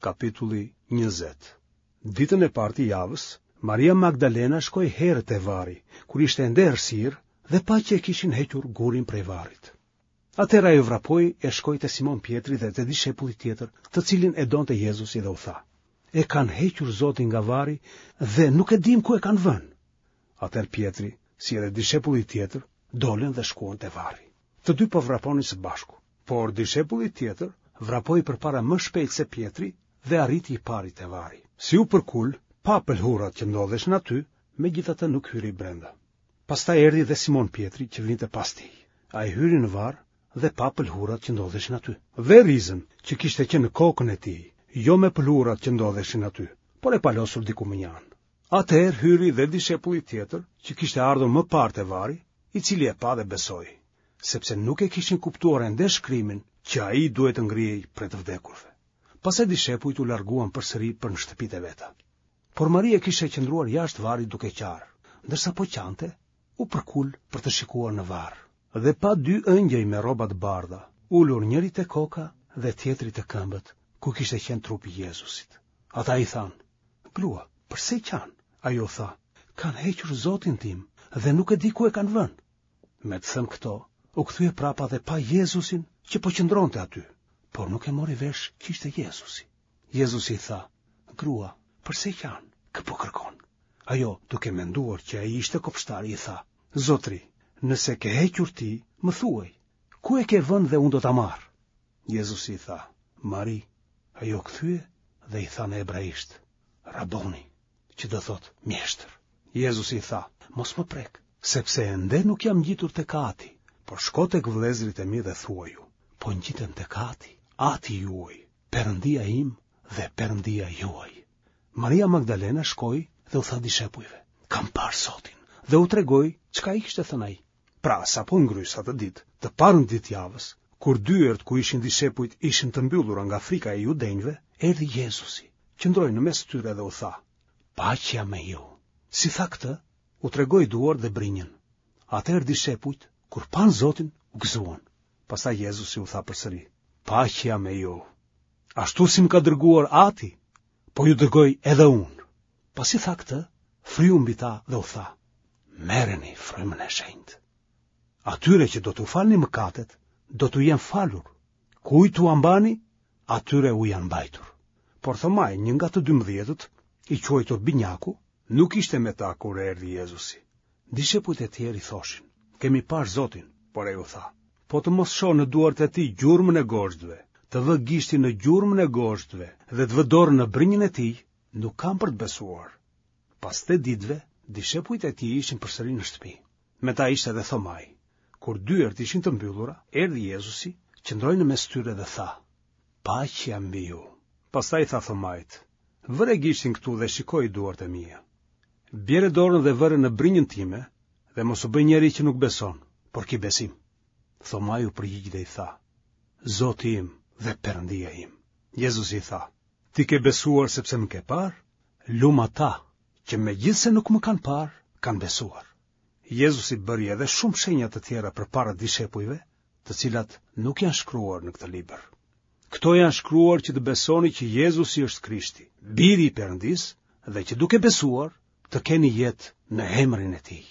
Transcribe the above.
Kapitulli 20 Ditën e parë të javës, Maria Magdalena shkoi herët te varri, kur ishte ende errësirë dhe pa që e kishin hequr gurin prej varrit. Atëherë ajo vrapoi e shkoi te Simon Pjetri dhe te dishepulli tjetër, të cilin e donte Jezusi dhe u tha: E kanë hequr Zotin nga varri dhe nuk e dimë ku e kanë vënë. Atëherë Pjetri, si edhe dishepulli tjetër, dolën dhe shkuan te varri. Të dy po vraponin së bashku, por dishepulli tjetër vrapoi përpara më shpejt se Pjetri dhe arriti i pari te varri. Si u përkul, pa pëlhurat që ndodheshin aty, megjithatë nuk hyri brenda. Pastaj erdhi dhe Simon Pjetri që vinte pas tij. Ai hyri në varr dhe pa pëlhurat që ndodheshin aty. Dhe rizën që kishte qenë në kokën e tij, jo me pëlhurat që ndodheshin aty, por e palosur diku mënjanë. Atëherë hyri dhe dishepulli tjetër, që kishte ardhur më parë te varri, i cili e pa dhe besoi, sepse nuk e kishin kuptuar ende shkrimin që ai duhej të ngrihej prej të vdekurve. Pastaj dishepujt u larguan përsëri për në shtëpitë e veta. Por Maria kishte qëndruar jashtë varrit duke qarë, ndërsa po qante, u përkul për të shikuar në varr. Dhe pa dy ëngjëj me rroba të bardha, ulur njëri te koka dhe tjetri te këmbët, ku kishte qenë trupi i Jezusit. Ata i thanë, Grua, përse qan? Ajo tha, kanë hequr Zotin tim dhe nuk e di ku e kanë vënë. Me të thënë këto, u kthye prapa dhe pa Jezusin që po qëndronte aty, por nuk e mori vesh që ishte Jezusi. Jezusi i tha, Grua, përse qan? Kë po kërkon? Ajo, duke menduar që ai ishte kopshtari, i tha, Zotëri, nëse e ke hequr ti, më thuaj, ku e ke vënë dhe unë do ta marr? Jezusi i tha, Mari, ajo u kthye dhe i tha në hebraisht, Raboni, që do thotë mjeshtër. Jezusi i tha, mos më prek, sepse ende nuk jam ngjitur tek Ati, por shko tek vëllezërit e mi dhe thuaju, po ngjitem tek Ati, Ati juaj, Perëndia im dhe Perëndia juaj. Maria Magdalena shkoi dhe u tha dishepujve, kam parë Zotin, dhe u tregoi çka i kishte thënë ai. Pra, sapo ngrys atë ditë, të parën ditë të javës, kur dyert ku ishin dishepujt ishin të mbyllura nga frika e judenjve, erdhi Jezusi, qëndroi në mes tyre dhe u tha, Paqja me ju. Si tha këtë, u tregoi duart dhe brinjën. Atëherë dishepujt, kur panë Zotin, u gëzuan. Pastaj Jezusi u tha përsëri, Paqja me ju. Ashtu si më ka dërguar Ati, po ju dërgoj edhe unë. Pasi tha këtë, fryu mbi ta dhe u tha, Merreni frymën e shenjtë. Atyre që do t'u falni mëkatet, do t'u jenë falur. Kujt t'ua mbani, atyre u janë mbajtur. Por Thomai, një nga të dymbëdhjetët, i quajtur Binjaku, nuk ishte me ta kur erdhi Jezusi. Dishepujt e tjerë i thoshin, kemi parë Zotin, por ai u tha, po të mos shoh në duart e tij gjurmën e gozhdëve, të vë gishtin në gjurmën e gozhdëve dhe të vë dorën në brinjën e tij, nuk kam për të besuar. Pas tetë ditëve, dishepujt e tij ishin përsëri në shtëpi. Me ta ishte edhe Thomai. Kur dyert ishin të mbyllura, erdhi Jezusi, qëndroi në mes tyre dhe tha, Paqja mbi ju. Pastaj i tha Thomait, Vëre gishtin këtu dhe shikoji duart e mia. Bjere dorën dhe vëre në brinjën time dhe mos u bëj njeri që nuk beson, por ki besim. Thomai u përgjigj dhe i tha, Zoti im dhe Perëndia im. Jezusi i tha, Ti ke besuar sepse më ke parë? Lum ata që megjithëse nuk më kanë parë, kanë besuar. Jezusi bëri edhe shumë shenja të tjera përpara dishepujve, të cilat nuk janë shkruar në këtë libër. Këto janë shkruar që të besoni që Jezusi është Krishti, biri i Perëndisë, dhe që duke besuar të keni jetë në emrin e tij.